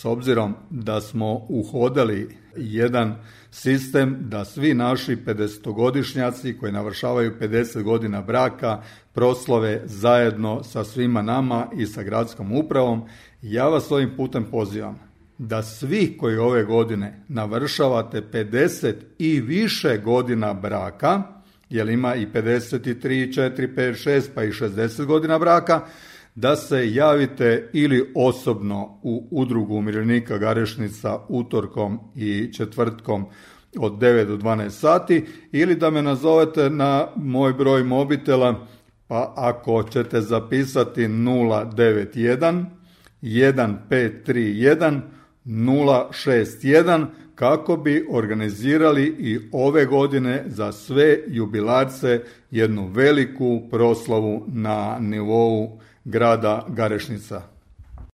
s obzirom da smo uhodali jedan sistem da svi naši 50-godišnjaci koji navršavaju 50 godina braka proslave zajedno sa svima nama i sa gradskom upravom, ja vas ovim putem pozivam da svi koji ove godine navršavate 50 i više godina braka, jer ima i 53, 4, 5, 6 pa i 60 godina braka, da se javite ili osobno u Udrugu umirovljenika Garešnica utorkom i četvrtkom od 9 do 12 sati ili da me nazovete na moj broj mobitela, pa ako ćete zapisati 091 1531 061 kako bi organizirali i ove godine za sve jubilarce jednu veliku proslavu na nivou grada Garešnica.